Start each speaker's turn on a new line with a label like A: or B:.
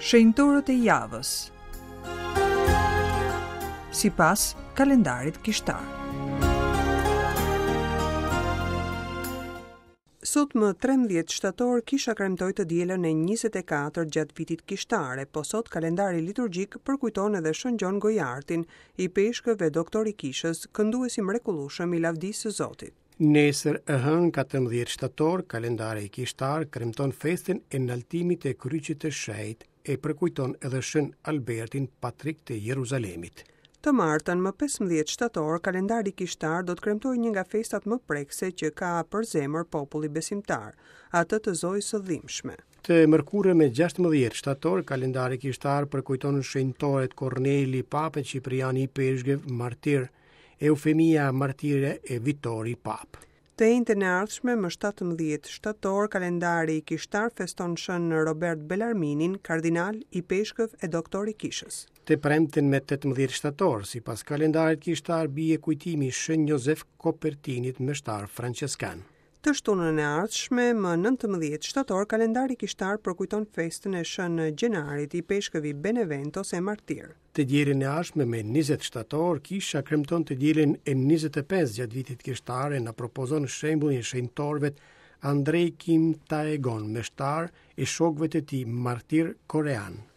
A: Shenjtorët e javës. Sipas kalendarit kishtar. Sot më 13 shtator kisha kremtoi të dielën e 24 gjatë vitit kishtar, e po sot kalendari liturgjik përkujton edhe Shën Gjon Gojartin, ipeshkëv e doktor i kishës, këndues i mrekullueshëm i lavdisë së Zotit.
B: Nesër, e hënë, 14 shtator, kalendari kishtar kremton festën e naltimit të kryqit të shenjtë e përkujton edhe Shën Albertin, patrik të Jeruzalemit.
A: Të martën, më 15 shtator, kalendari kishtar do të kremtojë një nga festat më prekëse që ka për zemër populli besimtar, atë të Zojës së Dhimbshme.
B: Të mërkurën me 16 shtator, kalendari kishtar përkujton shenjtorët Korneli, Papë, Cipriani Ipeshkëv, martir, Eufemia martire e Vitori Papë.
A: Të enjten e ardhshme, më 17 shtator, kalendari kishtar feston Shën Robert Belarminin, kardinal, ipeshkëv e doktor i kishës.
B: Të premten me 18 shtator, sipas kalendarit kishtar bie kujtimi i Shën Jozef Kopertinit, meshtar françeskan.
A: Të shtunën e ardhshme, më 19 shtator, kalendari kishtar përkujton festën e Shën Gjenarit, ipeshkëv i Beneventos e martir.
B: Të dielën e ardhshme me 20 shtator, kisha kremton të dielën e 25 gjatë vitit kishtar e na propozon shembullin e shenjtorëve Andrej Kim Taegon, meshtar e shokëve të tij martir korean.